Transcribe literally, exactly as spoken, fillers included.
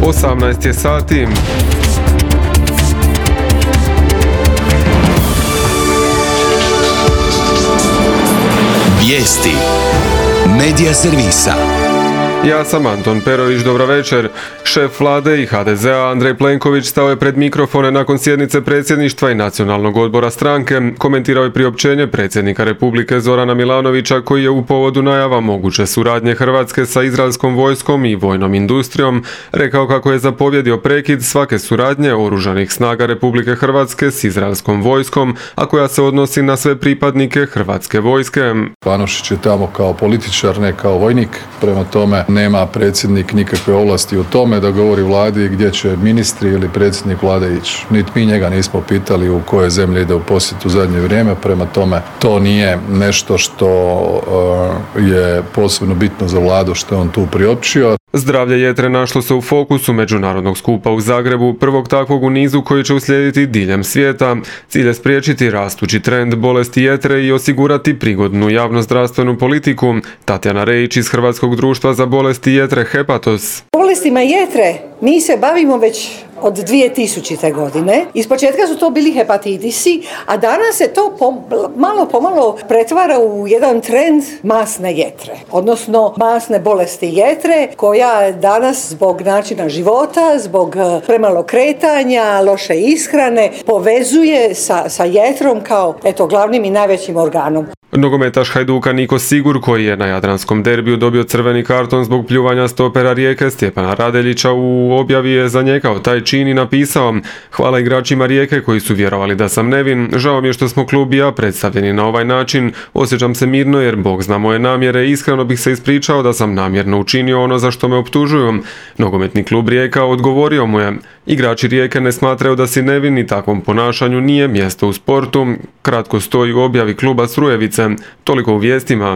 osamnaest je sati. Vijesti Medija servisa. Ja sam Anton Perović, dobra večer. Šef vlade i ha de zea Andrej Plenković stao je pred mikrofone nakon sjednice predsjedništva i nacionalnog odbora stranke. Komentirao je priopćenje predsjednika Republike Zorana Milanovića koji je u povodu najava moguće suradnje Hrvatske sa izraelskom vojskom i vojnom industrijom rekao kako je zapovjedio prekid svake suradnje oružanih snaga Republike Hrvatske s izraelskom vojskom, a koja se odnosi na sve pripadnike Hrvatske vojske. Anušić je tamo kao političar, ne kao vojnik, prema tome nema predsjednik nikakve ovlasti u tome da govori vladi gdje će ministri ili predsjednik vlade ići. Niti mi njega nismo pitali u koje zemlje ide u posjet u zadnje vrijeme, prema tome to nije nešto što uh, je posebno bitno za vladu što je on tu priopćio. Zdravlje jetre našlo se u fokusu međunarodnog skupa u Zagrebu, prvog takvog u nizu koji će uslijediti diljem svijeta. Cilj je spriječiti rastući trend bolesti jetre i osigurati prigodnu javnozdravstvenu politiku. Tatjana Rejić iz Hrvatskog društva za bolesti jetre Hepatos. Bolestima jetre mi se bavimo već od dvije tisućite. godine. Ispočetka su to bili hepatitisi, a danas se to pom- malo pomalo pretvara u jedan trend masne jetre, odnosno masne bolesti jetre koja danas zbog načina života, zbog premalo kretanja, loše ishrane povezuje sa, sa jetrom kao eto, glavnim i najvećim organom. Nogometaš Hajduka Niko Sigur, koji je na jadranskom derbiju dobio crveni karton zbog pljuvanja stopera Rijeke Stjepana Radeljića, u objavi je zanijekao taj čin i napisao: "Hvala igračima Rijeke koji su vjerovali da sam nevin. Žao mi je što smo klub i ja predstavljeni na ovaj način. Osjećam se mirno jer Bog zna moje namjere i iskreno bih se ispričao da sam namjerno učinio ono za što me optužuju." Nogometni klub Rijeka odgovorio mu je: "Igrači Rijeke ne smatraju da si nevin i takvom ponašanju nije mjesto u sportu." Kratko stoji u objavi kluba Strujevice. Toliko u vijestima.